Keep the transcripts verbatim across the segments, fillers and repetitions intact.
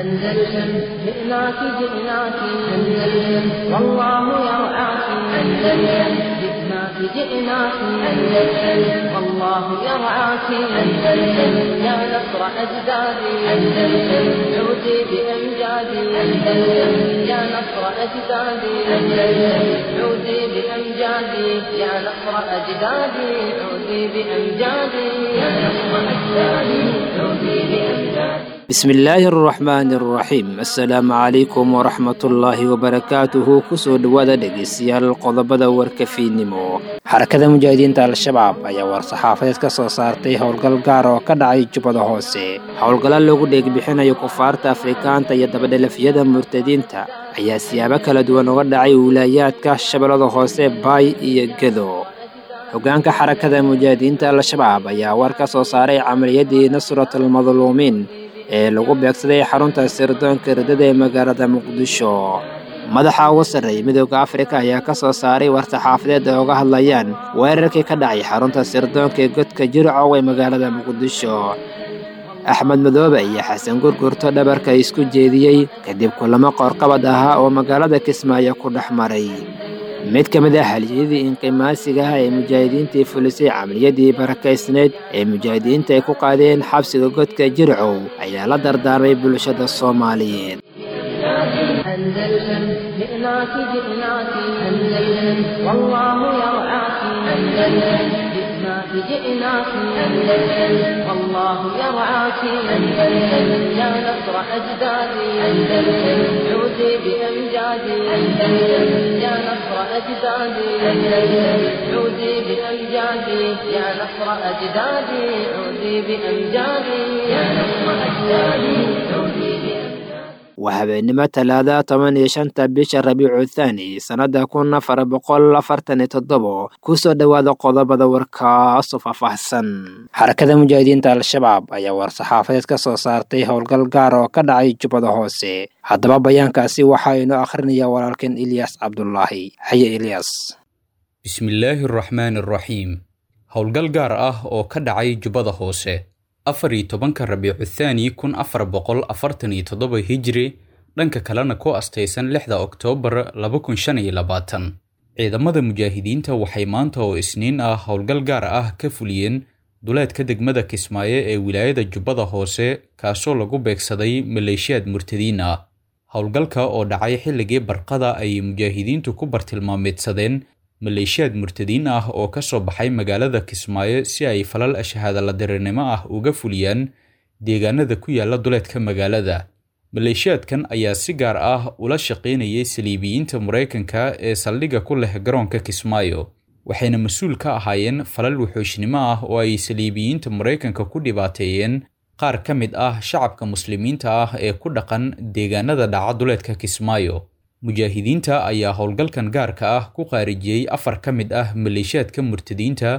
أندلسن جئناك جئناك أندلسن والله يرعاك أندلسن جئناك جئناك أندلسن والله يرعاك أندلسن يا نصر أجدادي أندلسن عودي بأمجادي أندلسن يا نصر أجدادي أندلسن عودي بأمجادي يا نصر أجدادي عودي بأمجادي يا نصر أجدادي عودي بأمجادي. Bismillaahi araxmaani araxiim. Assalaamu calaykum waraxmatullaahi wabarakaatuhu. Kusoo dhowaada dhegeystayaal qodobada warka fiidnimo. Xarakada Mujaahidiinta Al-Shabaab ayaa war-saxaafadeed ka soo saartay howlgal gaar oo ka dhacay Jubbada Hoose. Howlgalla loogu dheegbixinayo kufaarta Afrikaanta iyo dabadhelafyada murtadiinta ayaa siyaabo kala duwan uga dhacay wilaayaadka Shabeellada Hoose, Baay iyo Gedo. Hogaanka Xarakada Mujaahidiinta Al-Shabaab ayaa war ka soo saaray camaliyadii Nusratul Madluumiin ee lagu beegsaday xarunta sirdoonka riddada ee magaalada Muqdisho. Madaxa ugu sarreeyay Midowda Afrika ayaa ka soo saaray war-saxaafadeed ay uga hadlayaan weerarkii ka dhacay xarunta sirdoonka ee godka Jircow ee magaalada Muqdisho. Axmed Madoobe iyo Xasan Gurgurto dhabarka isku jeediyey kadib kulamo qoorqabad ahaa oo magaalada Kismaayo ku dhex maray. Mid ka mid ah haliyadii inqimaasiga ah ee mujaahidiintii fulisay camaliyadii barakaysneyd ee mujaahidiinta ay ku qaadeen xabsiga godka Jircow ayaa la dardaarmay bulshada Soomaaliyeed. أندلسن جئناك جئناك أندلسن والله يرعاك أندلسن جئناك جئناك أندلسن والله يرعاك أندلسن يا نصر أجدادي أندلسن عودي بأمجادي أندلسن يا نصر أجدادي أندلسن عودي بأمجادي يا نصر أجدادي عودي بأمجادي يا نصر أجدادي عودي بأمجادي. Waa habeenimo Talaada, toban iyo shanta bisha Rabiicu Thaani, sannada kun afar boqol afartan iyo toddobo. Kusoo dhowaada qodobada warkaasoo faahfaahsan. Xarakada Mujaahidiinta Al-Shabaab ayaa war-saxaafadeed ka soo saartay howlgal gaar oo ka dhacay Jubbada Hoose. Haddaba bayaankaasi waxaa inoo akhrinayaa walaalkan Ilyas Cabdulaahi. Haye Ilyas. Bismillaahi araxmaani araxiim. Howlgal gaar ah oo ka dhacay Jubbada Hoose afar iyo tobanka Rabiicu Thaani kun afar boqol afartan iyo toddoba Hijri, dhanka kalena ku astaysan lixda Oktoobar laba kun shan iyo labaatan, ciidamada mujaahidiinta waxay maanta oo Isniin ah howlgal gaar ah ka fuliyeen duleedka degmada Kismaayo ee wilaayada Jubbada Hoose, kaasoo lagu beegsaday maleeshiyaad murtadiin ah. Howlgalka oo dhacay xilligii barqada ay mujaahidiintu ku bartilmaameedsadeen maleeshiyaad murtadiin ah oo ka soo baxay magaalada Kismaayo si ay falal ashahaada la dirirnimo ah uga fuliyaan deegaanada ku yaala duleedka magaalada. Maleeshiyaadkan ayaa si gaar ah ula shaqaynayay saliibiyiinta Maraykanka ee saldhigga ku leh garoonka Kismaayo, waxayna mas-uul ka ahaayeen falal wuxuushnimo ah oo ay saliibiyiinta Maraykanka ku dhibaateeyeen qaar ka mid ah shacabka muslimiinta ah ee ku dhaqan deegaanada dhaca duleedka Kismaayo. Mujaahidiinta ayaa howlgalkan gaarka ah ku qaarijiyey afar ka mid ah maleeshiyaadka murtadiinta,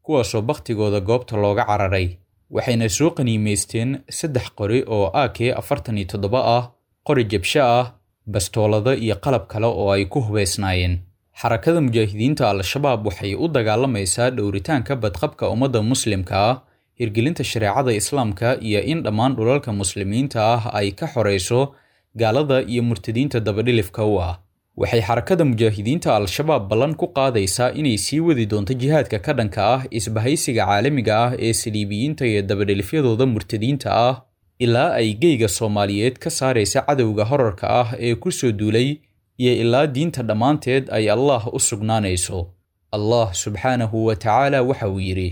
kuwaasoo bakhtigooda goobta looga cararay, waxayna soo qaniimaysteen saddex qori oo A K afartan iyo toddoba ah, qori jabsho ah, bastoolado iyo qalab kale oo ay ku hubeysnaayeen. Xarakada Mujaahidiinta Al-Shabaab waxay u dagaalamaysaa dhowritaanka badqabka ummadda muslimka ah, hirgelinta shareecada Islaamka iyo in dhammaan dhulalka muslimiinta ah ay ka xoreyso gaalada iyo murtadiinta dabadhilifka u ah. Waxay Xarakada Mujaahidiinta Al-Shabaab ballan ku qaadaysaa inay sii wadi doonto jihaadka ka dhanka ah isbahaysiga caalamiga ah ee saliibiyiinta iyo dabadhilifyadooda murtadiinta ah ilaa ay geyga Soomaaliyeed ka saaraysa cadowga horarka ah ee ku soo duulay iyo ilaa diinta dhammaanteed ay Allah u sugnaanayso. Allah subxaanahu wa tacaala waxa uu yidhi: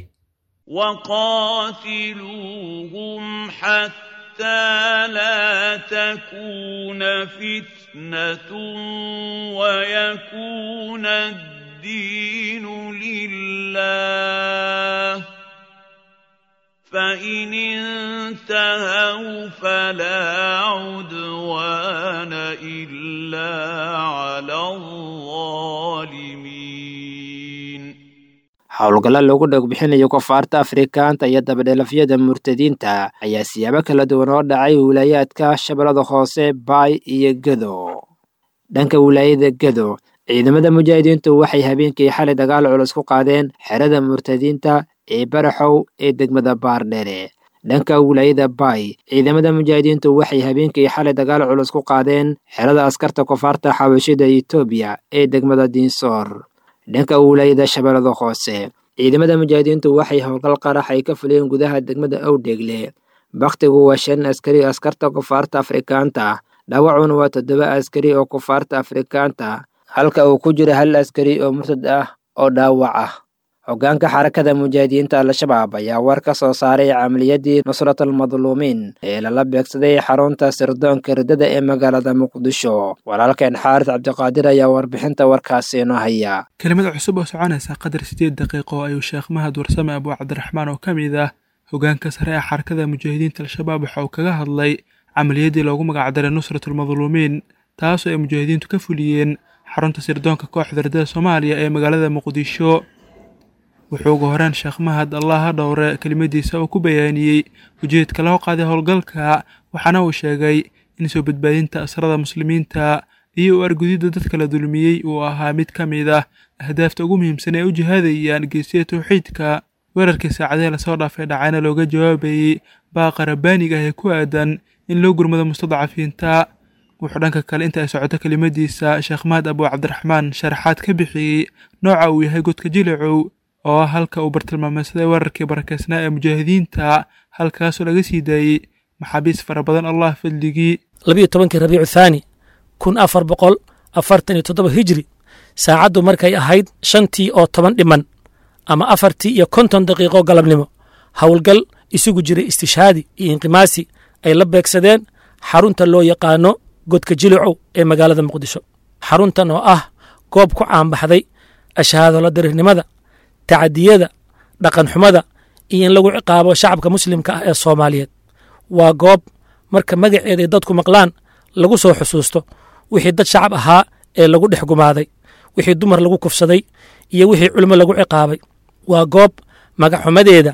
وقاتلوهم حتى لا تكون فتنة ويكون الدين لله، فإن انتهوا فلا عدوان إلا على الظالمين. Howlgalla loogu dhegbixinayo kufaarta Afrikaanta iyo dabadhelafyada murtadiinta ayaa siyaabo kala duwan oo dhacay wilaayaadka Shabeellada Hoose, Baay iyo Gedo. Dhanka wilaayada Gedo, ciidamada mujaahidiintu waxay habeenkii xalay dagaal culus ku qaadeen xerada murtadiinta ee Baraxow ee degmada Baardheere. Dhanka wilaayada Baay, ciidamada mujaahidiintu waxay habeenkii xalay dagaal culus ku qaadeen xerada askarta kufaarta xabashida Itoobiya ee degmada Diinsoor. Dhanka wilaayada Shabeellada Hoose, ciidamada mujaahidiintu waxay howlgal qarax ay ka fuliyeen gudaha degmada Owdheegle. Bakhtigu waa shan askari askarta kufaarta Afrikaanta, dhaawacuna waa toddoba askari oo kufaarta Afrikaanta, halka uu ku jiro hal askari oo murtad ah oo dhaawac ah. Hoggaanka xarakada mujaahidiinta Al-Shabaab ayaa war ka soo saaray camaliyadii Nusratul Madluumiin ee lala beegsaday xarunta sirdoonka riddada ee magaalada Muqdisho. Walaalkeen Xaaris Cabdiqaadir ayaa warbixinta warkaasi inoo haya. Kelimad cusub oo soconaysa qadar sideed daqiiqo ayuu Sheekh Mahad Warsame Abu Cabdiraxmaan oo ka mid ah hoggaanka sare ee xarakada mujaahidiinta Al-Shabaab waxa uu kaga hadlay camaliyadii loogu magacdaray Nusratul Madluumiin, taasoo ay mujaahidiintu ka fuliyeen xarunta sirdoonka kooxda riddada Soomaaliya ee magaalada Muqdisho. Wuxuu ugu horeen Sheekh Mahad Allaha dhowre kelimadiisa uu ku bayaaniyey ujeedka loo qaaday howlgalka, waxaana uu sheegay in soo badbaadinta asrada muslimiinta iyo u argudidda dadka la dulmiyey uu ahaa mid ka mid ah ahdaafta ugu muhiimsan ee u jihaadayaan geesiya towxiidka. Weerarkii saacadihii lasoo dhaafay dhacayna looga jawaabayey baaqa rabbaaniga ah ee ku aadan in loo gurmado mustadcafiinta. Wuxuu dhanka kale inta ay socoto kelimadiisa Sheekh Mahad Abu Cabdiraxmaan sharaxaad ka bixiyey nooca uu yahay godka Jilicow oo ah halka uu bartilmaameedsaday weerarkii barakeysnaa ee mujaahidiinta, halkaasoo laga sii daayey maxaabiis fara badan Allah fadligii. Labiyo tobankii Rabiicu Thaani kun afar boqol afartan iyo toddoba hijri, saacaddu markay ahayd shantii oo toban dhiman ama afartii iyo konton daqiiqo galabnimo, howlgal isugu jiray istishhaadi iyo inqimaasi ay la beegsadeen xarunta loo yaqaano godka Jilicow ee magaalada Muqdisho. Xaruntan oo ah goob ku caanbaxday ashahaado la dirirnimada, tacadiyada, dhaqanxumada iyo in lagu ciqaabo shacabka muslimka ah ee Soomaaliyeed. Waa goob marka magaceeda ay dadku maqlaan lagu soo xusuusto wixii dad shacab ahaa ee lagu dhex gumaaday, wixii dumar lagu kufsaday iyo wixii culimo lagu ciqaabay. Waa goob magaxumadeeda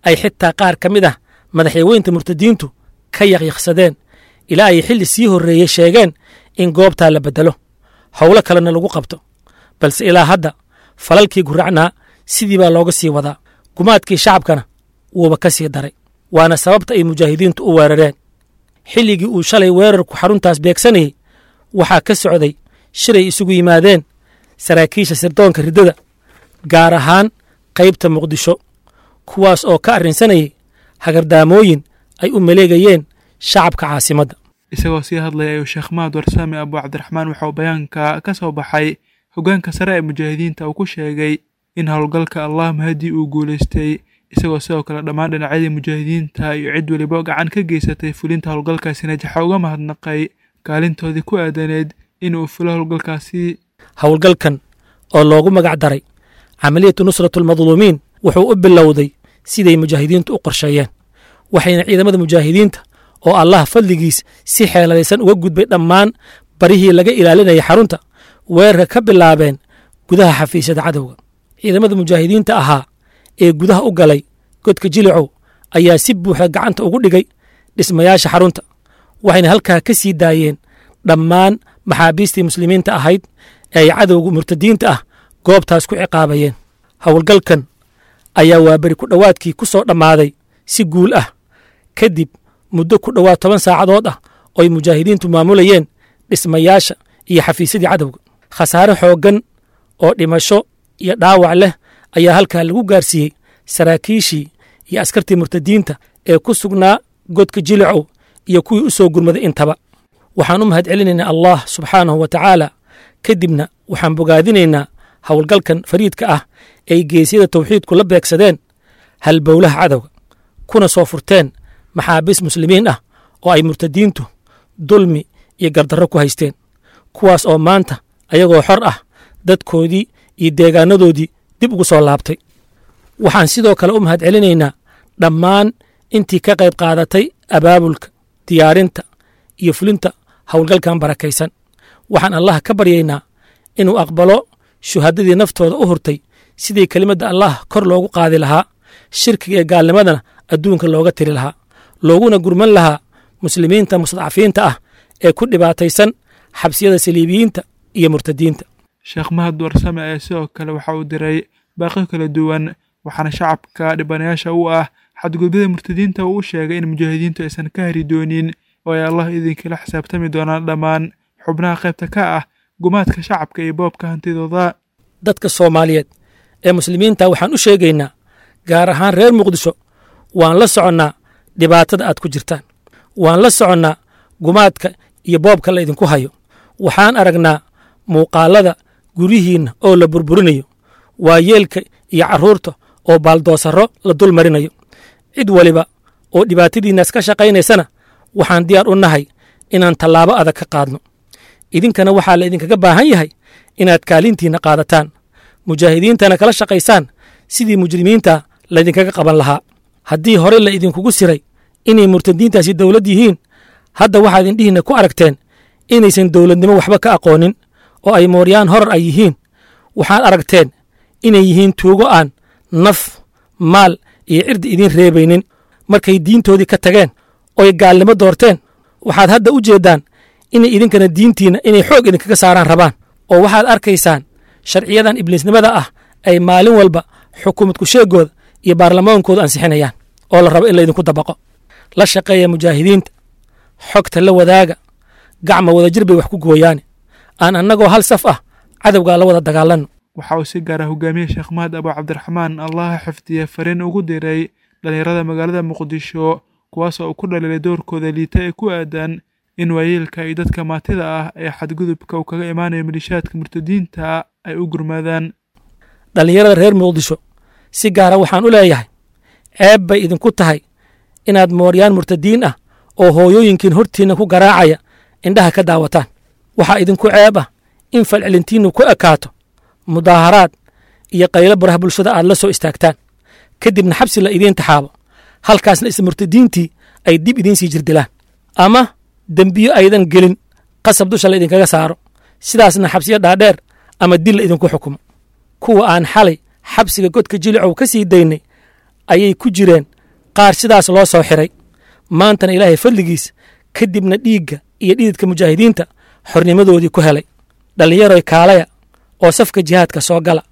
ay xitaa qaar ka mid ah madaxweynta murtadiintu ka yaqyaqsadeen ilaa ay xilli sii horreeyey sheegeen in goobtaa la beddelo, howlo kalena lagu qabto. Balse ilaa hadda falalkii guracnaa sidii baa looga sii wadaa, gumaadkii shacabkana wuuba ka sii daray. Waana sababta ay mujaahidiintu u weerareen. Xilligii uu shalay weerarku xaruntaas beegsanayey waxaa ka socday shiray isugu yimaadeen saraakiisha sirdoonka riddada, gaar ahaan qaybta Muqdisho, kuwaas oo ka arrinsanayay hagardaamooyin ay u maleegayeen shacabka caasimadda. Isagoo sii hadlaya ayuu Sheekh Mahad Warsame Abu Cabdiraxmaan waxa uu bayaanka ka soo baxay hoggaanka sare ee mujaahidiinta uu ku sheegay in howlgalka Allah mahadii uu guulaystay, isagoo sidoo kale dhammaan dhinacyadii mujaahidiinta iyo cid weliba gacan ka geysatay fulinta howlgalkaasi najaxa uga mahadnaqay kaalintoodii ku aadaneed inuu fulo howlgalkaasi. Howlgalkan oo loogu magac daray camaliyatu Nusratul Madluumiin wuxuu u bilowday siday mujaahidiintu u qorsheeyeen, waxayna ciidamada mujaahidiinta oo Allah fadligiis si xeeladaysan uga gudbay dhammaan barihii laga ilaalinayay xarunta weerarka ka bilaabeen gudaha xafiisyada cadowga. Ciidamada mujaahidiinta ahaa ee gudaha u galay godka Jilicow ayaa si buuxda gacanta ugu dhigay dhismayaasha xarunta, waxayna halkaa ka sii daayeen dhammaan maxaabiistii muslimiinta ahayd ee ay cadowga murtadiinta ah goobtaas ku ciqaabayeen. Howlgalkan ayaa waaberi ku dhowaadkii ku soo dhammaaday si guul ah kadib muddo ku dhowaad toban saacadood ah oo ay mujaahidiintu maamulayeen dhismayaasha iyo xafiisyadii cadowga. Khasaare xooggan oo dhimasho iyo dhaawac leh ayaa halkaa lagu gaarsiiyey saraakiishii iyo askartii murtadiinta ee ku sugnaa godka Jilicow iyo kuwii u soo gurmaday intaba. Waxaan u mahadcelinaynaa Allah subxaanahu wa tacaala, kadibna waxaan bogaadinaynaa howlgalkan fariidka ah ay geesyada tawxiidku la beegsadeen halbowlaha cadowga, kuna soo furteen maxaabiis muslimiin ah oo ay murtadiintu dulmi iyo gardarro ku haysteen, kuwaas oo maanta ayagoo xor ah dadkoodii iyo deegaanadoodii dib ugu soo laabtay. Waxaan sidoo kale u mahadcelinaynaa dhammaan intii ka qayb qaadatay abaabulka, diyaarinta iyo fulinta howlgalkan barakaysan. Waxaan Allah ka baryaynaa inuu aqbalo shuhadadii naftooda u hurtay sidii kelimadda Allah kor loogu qaadi lahaa, shirkiga ee gaalnimadana adduunka looga tiri lahaa, looguna gurman lahaa muslimiinta mustadcafiinta ah ee ku dhibaataysan xabsiyada saliibiyiinta iyo murtadiinta. Sheekh Mahad Warsame ayaa sidoo kale waxa uu diray baaqyo kala duwan, waxaana shacabka dhibanayaasha u ah Xadgudubyada murtadiinta uu u sheegay in mujaahidiintu aysan ka hari doonin oo ay Allah idinkala xisaabtami doonaan dhammaan xubnaha qaybta ka ah gumaadka shacabka iyo boobka hantidooda. Dadka Soomaaliyeed ee muslimiinta waxaan u sheegaynaa, gaar ahaan reer Muqdisho, waan la soconnaa dhibaatada aad ku jirtaan, waan la soconnaa gumaadka iyo boobka la idinku hayo. Waxaan aragnaa muuqaallada guryihiinna oo la burburinayo, waayeelka iyo carruurta oo baaldoosarro la dul marinayo. Cid waliba oo dhibaatadiinnaas ka shaqaynaysana waxaan diyaar u nahay inaan tallaabo adag ka qaadno. Idinkana waxaa la idinkaga baahan yahay inaad kaalintiinna qaadataan, mujaahidiintana kala shaqaysaan sidii mujrimiinta laydinkaga qaban lahaa. Haddii hore la idinkugu siray inay murtadiintaasi dowlad yihiin, hadda waxaad indhihiinna ku aragteen inaysan dowladnimo waxba ka aqoonin oo ay mooryaan horar ay yihiin. Waxaad aragteen inay yihiin tuugo aan naf, maal iyo cirdi idiin reebaynin. Markay diintoodii ka tageen oy gaalnimo doorteen, waxaad hadda u jeeddaan inay idinkana diintiinna inay xoog idinkaga saaraan rabaan, oo waxaad arkaysaan sharciyadan ibliisnimada ah ay maalin walba xukuumad kusheegooda iyo baarlamaankooda ansixinayaan oo la rabo in laydinku dabaqo. La shaqeeya mujaahidiinta, xogta la wadaaga, gacma wadajir bay wax ku gooyaane. Aan annagoo hal saf ah cadowgaa la wada dagaalanno. Waxa uu si gaara hogaamiye Sheekh Mahad Abu Cabdiraxmaan, Allaha xifdiye, fariin ugu diray dhalinyarada magaalada Muqdisho, kuwaas oo uu ku dhaliilay doorkooda liita ee ku aadan in waayeelka iyo dadka maatida ah ee xadgudubka uu kaga imaanayo malishaadka murtadiinta ay u gurmaadaan. Dhallinyarada reer Muqdisho si gaara waxaan u leeyahay, ceeb bay idinku tahay inaad mooryaan murtadiin ah oo hooyooyinkiin hortiinna ku garaacaya indhaha ka daawataan. Waxaa idinku ceeb ah in falcelintiinnu ku ekaato mudaaharaad iyo qaylo baraha bulshada aad la soo istaagtaan, kadibna xabsi la idiin taxaabo, halkaasna isla murtadiintii ay dib idiin sii jirdilaan ama dembiyo aydan gelin qasab dusha la idinkaga saaro, sidaasna xabsiyo dhaadheer ama dil la idinku xukumo. Kuwa aan xalay xabsiga godka Jilicow ka sii daynay ayay ku jireen qaar sidaas loo soo xiray, maantana Ilaahay fadligiis kadibna dhiigga iyo dhididka mujaahidiinta xornimadoodii ku helay. Dhallinyaroy, kaalaya oo safka jihaadka soo gala,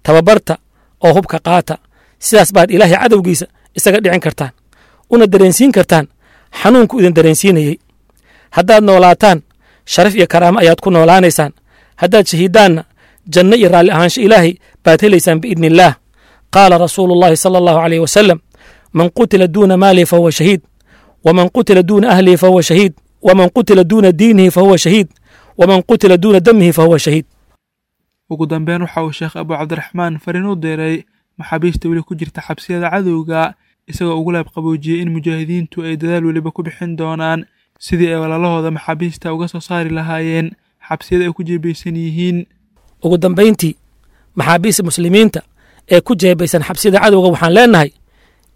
tababarta oo hubka qaata. Sidaas baad Ilaahay cadowgiisa isaga dhicin kartaan, una dareensiin kartaan xanuunku idin dareensiinayey. Haddaad noolaataan sharaf iyo karaamo ayaad ku noolaanaysaan, haddaad shahiidaanna janno iyo raalli ahaansho Ilaahay baad helaysaan biidni illaah. Qaala rasuulu llahi sala allahu caleyh wasalam: man qutila duuna maalihi fahuwa shahiid, waman qutila duuna ahlihi fahuwa shahiid, waman qutila duuna diinihi fahuwa shahiid, waman qutila duuna damihi fahuwa shahiid. Ugu dambeyn waxa uu Sheekh Abu Cabdiraxmaan fariin u diray maxaabiista weli ku jirta xabsiyada cadowga, isagoo ugu laabqaboojiyey in mujaahidiintu ay dadaal weliba ku bixin doonaan sidii ay walaalahooda maxaabiista uga soo saari lahaayeen xabsiyada ay ku jeebaysan yihiin. Ugu dambayntii, maxaabiista muslimiinta ee ku jeebaysan xabsiyada cadowga waxaan leenahay,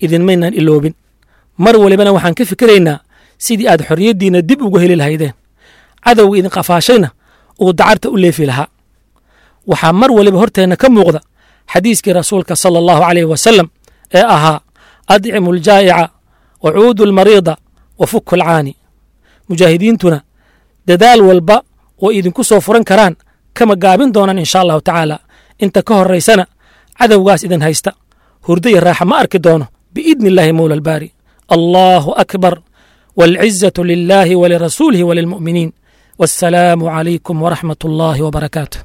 idinmaynaan iloobin, mar walibana waxaan ka fikiraynaa sidii aad xorriyaddiinna dib ugu heli lahaydeen, cadowga idin qafaashayna uu dacarta u leefi lahaa. Waxaa mar waliba horteenna ka muuqda xadiiskii rasuulka sala allahu caleyhi wasalam ee ahaa: adcimu aljaa'ica wa cuudu almariida wa fuku alcaani. Mujaahidiintuna dadaal walba oo idinku soo furan karaan kama gaabin doonaan insha allahu tacaala. Inta ka horraysana cadowgaas idin haysta hurdo iyo raaxa ma arki doono biidni illaahi mowla albaari. Allahu akbar, waalcizatu lilaahi walirasuulihi walilmu'miniin. Wassalaamu calaykum waraxmat ullaahi wabarakaatuh.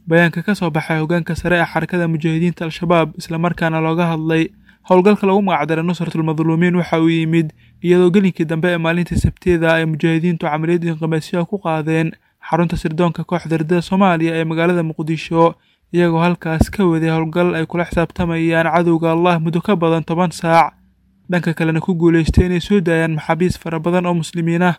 Bayaanka ka soo baxay hoggaanka sare ee xarakada mujaahidiinta Al-Shabaab, islamarkaana looga hadlay howlgalka lagu magacdaray Nusratulmadluumiin, waxa uu yimid iyadoo gelinkii dambe ee maalintii Sabtida ay mujaahidiintu camaliyad inqimaasyaha ku qaadeen xarunta sirdoonka kooxda ridada Soomaaliya ee magaalada Muqdisho, iyagoo halkaas ka waday howlgal ay kula xisaabtamayaan cadowga Allah muddo ka badan toban saac, dhanka kalena ku guulaystay inay soo daayaan maxaabiis fara badan oo muslimiin ah.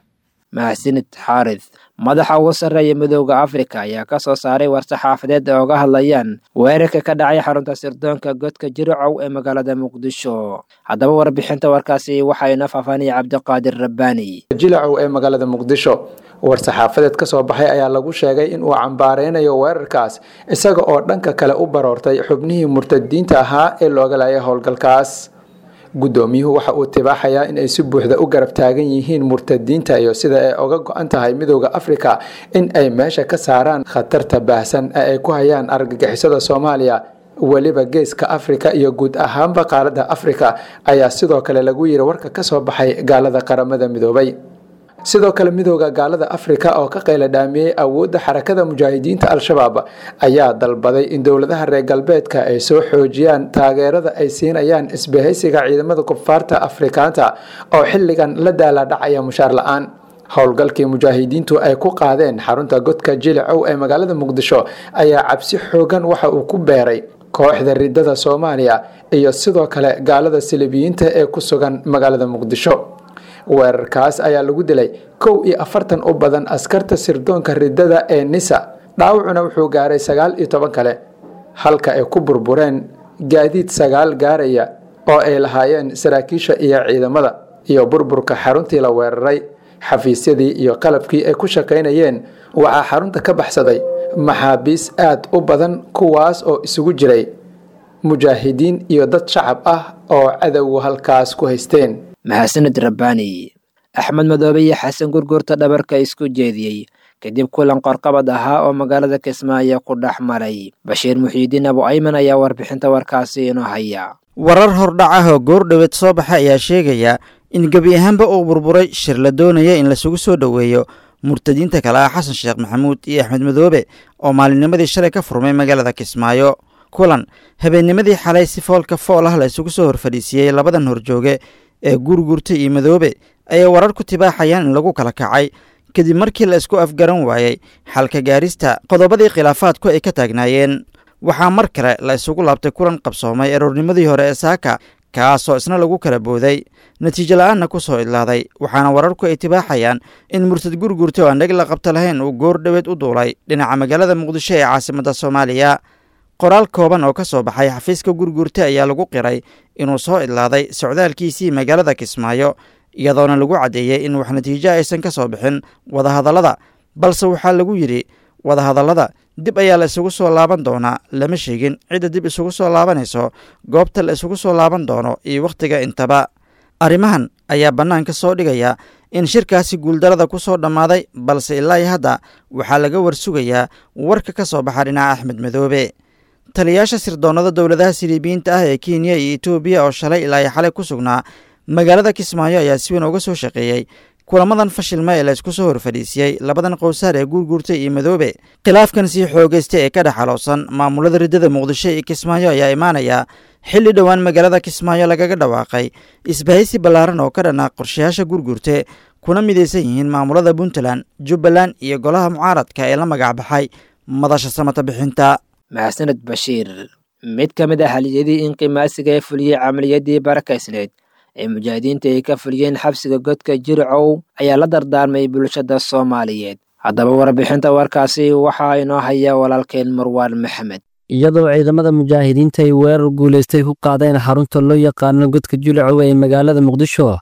Mahadsanid Xaarith. Madaxa ugu sarreeya Midooda Afrika ayaa ka soo saaray war-saxaafadeed ay oga hadlayaan weerarka ka dhacay xarunta sirdoonka godka Jiricow ee magaalada Muqdisho. Haddaba warbixinta warkaasi waxaa inoo faahfaahinaya Cabdiqaadir Rabbaani. Jilacow ee magaalada Muqdisho war-saxaafadeed ka soo baxay ayaa lagu sheegay in uu cambaareynayo weerarkaas, isaga oo dhanka kale u baroortay xubnihii murtadiinta ahaa ee looga laayay howlgalkaas. Guddoomiyuhu waxa uu tibaaxayaa in ay si buuxda u garab taagan yihiin murtadiinta iyo sida ay oga go-an tahay Midooda Afrika in ay meesha ka saaraan khatarta baahsan ee ay ku hayaan argagixisada Soomaaliya. weliba geeska Afrika iyo guud ahaanba qaaradda Afrika, ayaa sidoo kale lagu yiri warka kasoo baxay gaalada Qaramada Midoobay. Sidoo kale midooda gaalada Afrika oo ka qayla dhaamiyey awoodda Xarakada Mujaahidiinta Al-Shabaab ayaa dalbaday in dowladaha reer galbeedka ay soo xoojiyaan taageerada ay siinayaan isbahaysiga ciidamada kufaarta Afrikaanta oo xilligan la daaladhacaya mushaar la-aan. Howlgalkii mujaahidiintu ay ku qaadeen xarunta godka Jilicow ee magaalada Muqdisho ayaa cabsi xoogan waxa uu ku beeray kooxda ridada Soomaaliya iyo sidoo kale gaalada silibiyiinta ee ku sugan magaalada Muqdisho. Weerarkaas ayaa lagu dilay kow iyo afartan u badan askarta sirdoonka ridada ee NISA, dhaawacuna wuxuu gaaray sagaal iyo toban kale, halka ay ku burbureen gaadiid sagaal gaaraya oo ay lahaayeen saraakiisha iyo ciidamada, iyo burburka xaruntii la weeraray, xafiisyadii iyo qalabkii ay ku shaqaynayeen. Waxaa xarunta ka baxsaday maxaabiis aad u badan, kuwaas oo isugu jiray mujaahidiin iyo dad shacab ah oo cadowgu halkaas ku haysteen. Mahadsanid Rabbaani. Axmed Madoobe iyo Xasan Gurgurta dhabarka isku jeediyey kadib kulan qorqabad ahaa oo magaalada Kismaayo ku dhex maray. Bashiir Muxiidiin Abu Ayman ayaa warbixinta warkaasi inoo haya. Warar hordhac ah oo goordhoweed soo baxay ayaa sheegaya in gebi ahaanba uu burburay shir la doonaya in lasugu soo dhoweeyo murtadiinta kale ah Xasan Sheekh Maxamuud iyo Axmed Madoobe oo maalinnimadii shalay ka furmay magaalada Kismaayo. Kulan habeennimadii xalay si foolka fool ah la isugu soo horfadhiisiyey labadan horjooge ee Gurgurta iyo Madoobe ayay warar ku tibaaxayaan in lagu kala kacay kadib markii la isku afgaran waayey xalka gaarista qodobadii khilaafaadku ay ka taagnaayeen. Waxaa mar kale la isugu laabtay kulan qabsoomay aroornimadii hore ee saaka, kaasoo isna lagu kala booday natiijo la-aanna ku soo idlaaday. Waxaana wararku ay tibaaxayaan in murtad Gurgurta oo aan dheg la qabta lahayn uu goor dhoweed u duulay dhinaca magaalada Muqdisho ee caasimadda Soomaaliya. Qoraal kooban oo ka soo baxay xafiiska Gurgurta ayaa lagu qiray inuu soo idlaaday socdaalkiisii magaalada Kismaayo, iyadoona lagu caddeeyey in wax natiijo aysan ka soo bixin wadahadallada, balse waxaa lagu yidhi wadahadallada dib ayaa la isugu soo laaban doonaa. Lama sheegin cidda dib isugu soo laabanayso, goobta la isugu soo laaban doono iyo wakhtiga intaba. Arrimahan ayaa bannaanka soo dhigaya in shirkaasi guuldarada ku soo dhammaaday, balse ilaa iyo hadda waxaa laga warsugayaa warka ka soo baxa dhinaca Axmed Madoobe. Taliyaasha sirdoonnada dowladaha siliibiyiinta ah ee Kenya iyo Etoobiya oo shalay ilaa iyo xalay ku sugnaa magaalada Kismaayo ayaa si weyn uga soo shaqeeyey kulamadan fashilma ee la isku soo horfadhiisiyey labadan qowsaar ee Gurgurta iyo Madoobe. Khilaafkan sii xoogaystay ee ka dhex xaloosan maamulada riddada Muqdisho iyo Kismaayo ayaa imaanaya xilli dhowaan magaalada Kismaayo lagaga dhawaaqay isbahaysi ballaaran oo ka dhanaa qorshayaasha Gurgurte, kuna midaysan yihiin maamulada Puntland, Jubbaland iyo golaha mucaaradka ee la magac baxay Madasha Samata Bixinta. Mahadsanid Bashiir. Mid ka mid ah haliyadii inqimaasiga ee fuliyey camaliyadii barakaysneed ee mujaahidiinta ay ka fuliyeen xabsiga godka Jiricow ayaa la dardaarmay bulshada Soomaaliyeed. Haddaba warbixinta warkaasi waxaa inoo haya walaalkeen Marwaan Maxamed. Iyadoo ciidamada mujaahidiinta ay weerar guulaystay ku qaadeen xarunta loo yaqaano godka Jilicow ee magaalada Muqdisho,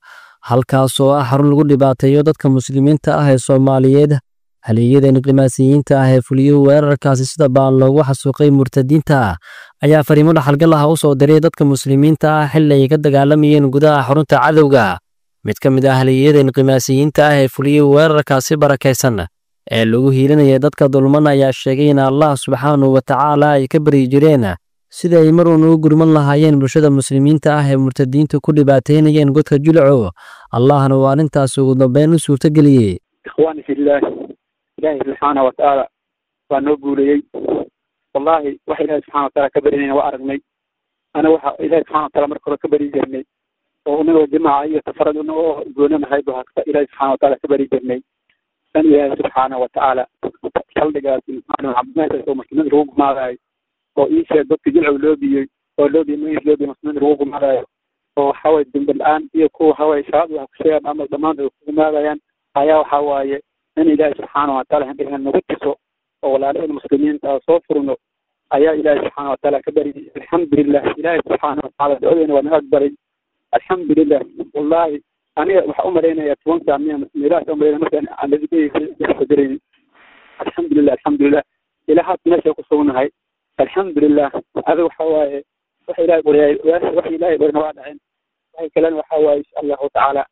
halkaas oo ah xarun lagu dhibaateeyo dadka muslimiinta ah ee Soomaaliyeed, haliyada inqimaasiyiinta ah ee fuliyey weerarkaasi sida baan loogu xasuuqay murtadiinta ayaa fariimo dhaxalgal ah u soo diray dadka muslimiinta ah xilli ay ka dagaalamayeen gudaha xarunta cadowga. Mid ka mid ah haliyada inqimaasiyiinta ah ee fuliyey weerarkaasi barakaysan ee lagu hiilinaya dadka dulman ayaa sheegay in Allah subxaanahu wa tacaala ay ka baryi jireen sida ay mar uun ugu gurman lahaayeen bulshada muslimiinta ah ee murtadiinta ku dhibaateynayeen godka Jilicow, Allahna uu arrintaas ugu dambeyn u suurtageliyey. Ikhwaani fillah, Ilaahay subxaana wa tacaala waa noo guuleeyey. Wallaahi waxa Ilaahay subxana wa tacaala ka barinayna waa aragnay. Ana waxa Ilaahay subxana wa tacaala marka hore ka bari jirnay oo inagoo jimaaca iyo safarad inagoo goonanahay buu hagta Ilaahay subxana wa tacaala ka bari jirnay. Tan Ilaahay subxaana wa tacaala saldhigaas meeshaas oo muslimiinta lagu gumaadayo oo ii sheeg dadka Jilcow loo biyey oo loo biyey magaciisa loo biyey muslimiinta lagu gumaadayo oo waxa waye dembi la-aan iyo kuwa waxa waye shabaab waxa ku sheegaan ama dhammaantood ay ku gumaadayaan ayaa waxa waaye in Ilaahay subxaana wa tacaala hindhigan nagu tuso oo walaalaheen muslimiinta ah soo furno ayaa Ilaahay subxaana wa tacaala ka baryay. Alxamdulilah, Ilaahay subxaana wa tacaala ducadeena waa naga aqbalay. Alxamdulilah, wallaahi aniga waxaa u malaynayaa toban saac miya meelahaas u malaynaya markaan aan ladikayga Alxamdulilah, alxamdulilah, ilaa haata meesha ku sugnahay. Alxamdulilah, adiga waxa waaye waxa Ilaahay qoriyay, waxa Ilaahay qorina waa dhaceen, waxay kalena waxa waaye insha Allahu tacaala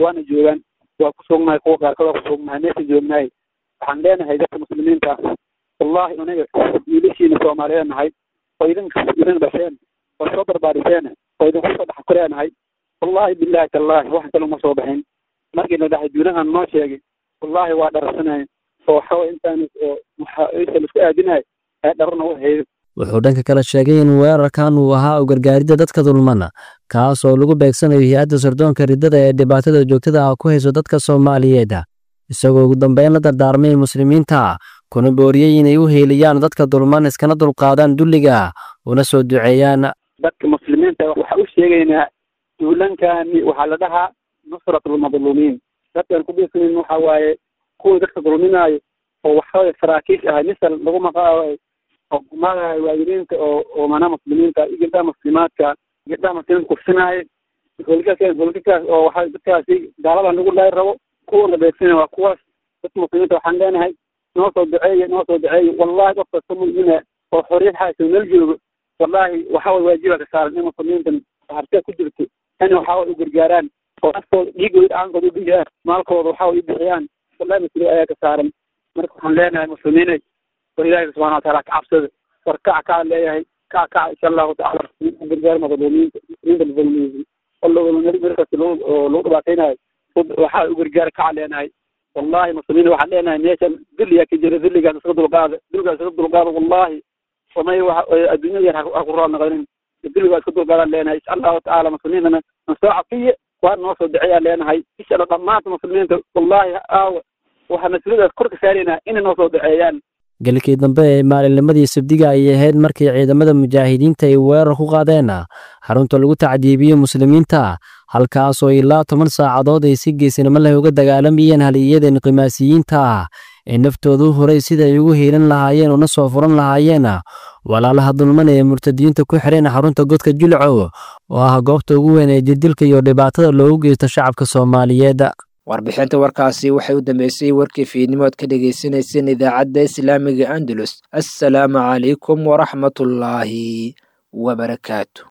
waana joogaan, waa ku sugnahay, kuwa qaarkood waa ku sugnahay meesha joognahay. Waxaan leenahay dadka muslimiinta ah, wallaahi aniga wiilashiina Soomaaliyeed nahay oo idinka idin dhasheen oo soo barbaariseen oo idinku soo dhex koreenahay. Wallaahi bilaahi tallaahi wax kale uma soo baxin. Markii la dhahay duulahan noo sheegay, wallaahi waa dhararsanay oo waxaway intaan oo waxa laisku aadinahay ee dhararna u haydo. Wuxuu dhanka kale sheegay in weerarkan uu ahaa u gargaaridda dadka dulmana, kaas oo lagu beegsanayo hay-adda sirdoonka riddada ee dhibaatada joogtada ah ku hayso dadka Soomaaliyeed, isagoo ugu dambeyn la dardaarmay muslimiinta kuna booriyey inay u heeliyaan dadka dulman iskana dulqaadaan dulliga una soo duceeyaan. Dadka muslimiinta waxaa u sheegaynaa duulankani waxaa la dhahaa nusratulmadluumiin. Dadkaan ku beegsanayn waxaa waaye kuwa dadka dulminaayo oo waxaway saraakiish ah misal lagu maqaayo oo gumadahay waalidiinta oo oo maanaa muslimiinta iyo gabdhaha muslimaadka, gabdhaha muslimiinta kufsinaayo howlgalkaas howlgalkaas oo waxaa dadkaasi gaaladan lagu laayi rabo. Kuwa la beegsanaya waa kuwaas. Dadka muslimiinta waxaan leenahay noo soo duceeya, noo soo duceeya. Wallaahi qof kasta mu'mina oo xorriyad haysta meel joogo, wallaahi waxaa way waajiba ka saaran in muslimiintan hartida ku jirto in waxaa way u gargaaraan oo naftooda dhiigooda dhacaankooda u bixiyaan, maalkooda waxaa way u bixiyaan. Wallahi mas-uuliyad ayaa ka saaran. Marka waxaan leenahay muslimiinay, war ilaahi subxana watacaala ka cabsada, war kac kaca leeyahay, kac kaca insha allahu tacala gargaar madluumiinta, muslimiinta la dulmiyey oo meel kasta loo lagu dhibaataynayo waxaa u gargaar kaca leenahay. Wallaahi muslimiin waxaan leenahay meeshan dulliyaa ka jira, dulligaas iska dulqaada, dulligaas iska dulqaada. Wallaahi wamay adduunyada yar ha ku raal noqonin, dulligaa iska dulqaadaan leenahay insha allahu tacaala. Muslimiintana na soo cafiye, waa noo soo duceeyaan leenahay insha allah dhammaanta muslimiinta. Wallaahi aawa waxaa mas-uuliyadaas kor ka saaraynaa inay noo soo duceeyaan. Galkii dambe ee maalinnimadii Sabdiga ayay ahayd markii ciidamada mujaahidiinta ay weerar ku qaadeen xarunta lagu tacdiibiyo muslimiinta, halkaasoo ilaa toban saacadood ay si geesinimo leh uga dagaalamayeen haliyadeen qimaasiyiinta ah ee naftooda u horay sida ay ugu hiilan lahaayeen una soo furan lahaayeen walaalaha dulman ee murtadiyiinta ku xireen xarunta godka Jilcow oo ah goobta ugu weyn ee jirdilka iyo dhibaatada loogu geysto shacabka Soomaaliyeed. Warbixinta warkaasi waxay u dambeysay warkii fiidnimo aad ka dhagaysanayseen idaacadda Islaamiga Andalus. Assalaamu calaykum waraxmatullaahi wabarakaatu.